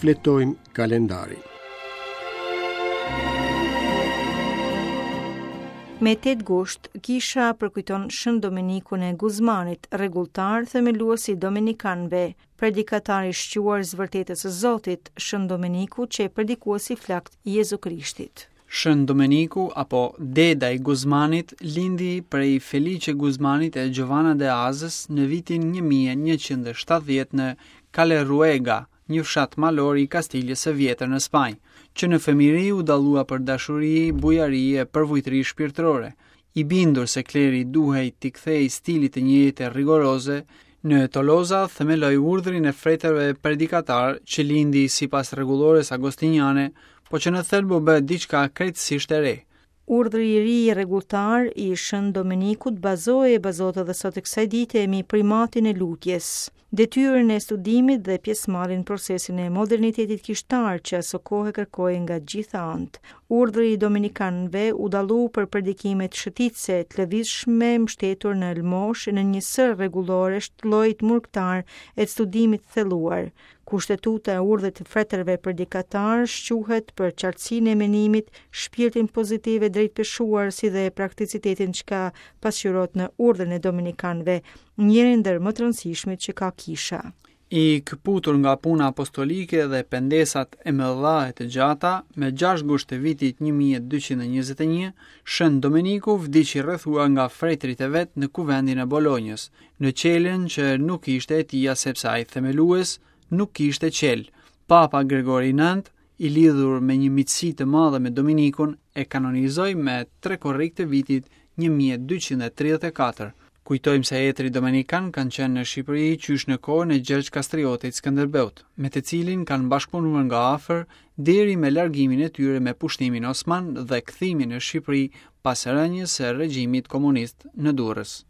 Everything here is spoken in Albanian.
Shfletojmë kalendarin. Me 8 gusht, kisha përkujton Shën Domenikun e Guzmanit, rregulltar themelues i Domenikanëve, predikatar i shquar i së vërtetës së Zotit, Shën Domeniku qe predikues i flaktë i Jezu Krishtit. Shën Domeniku apo Deda i Guzmanit lindi prej Felice Guzmanit e Giovanna de Azës në vitin 1170 në Caleruega, një fshat malor i Kastiljes së Vjetër në Spanjë. Që në fëmijëri u dallua për dashuri, bujari e përvujtëri shpirtërore. I bindur se kleri duhej t'i kthehej stilit të një jete rigoroze, në Toloza themeloi urdhrin e fretërve predikatarë që lindi sipas rregullores agostiniane, po që në thelb u bë diçka krejtësisht e re. Urdhri i ri rregulltar i Shën Domenikut bazohej e bazohet edhe sot e kësaj dite mbi primatin e lutjes, detyrën e studimit dhe pjesëmarrjen në procesin e modernitetit kishtar që asokohe kërkohej nga gjitha anët. Urdhri i Domenikanëve u dallu për predikimet shëtitëse, të lëvizshme, mbështetur në lëmoshë e në një sërë rregulloresh të llojit murgtar e të studimit të thelluar. Kushtetuta e urdhrit të fretërve predikatarë shquhet për qartësinë e menimit, shpirtin pozitiv e drejtpeshuar si dhe prakticitetin çka pasqyrohet në urdhrin e dominikanëve, njërin ndër më të rëndësishmit që ka kisha. I këputur nga puna apostolike dhe pendesat e mëdha e të gjata, me 6 gusht të vitit 1221, Shën Domeniku vdiq i rrethuar nga fretërit e vet në kuvendin e Bolonjës, në qelën që nuk ishte e tija sepse ai themelues nuk kishte qelë. Papa Gregori IX, i lidhur me një miqësi të madhe me Dominikun, e kanonizoi me 3 korrik të vitit 1234. Kujtojmë se etërit domenikanë kanë qenë në Shqipëri qysh në kohën e Gjergj Kastriotit Skënderbeut, me të cilin kanë bashkëpunuar nga afër deri me largimin e tyre me pushtimin osman dhe kthimin në Shqipëri pas rënies së regjimit komunist në Durrës.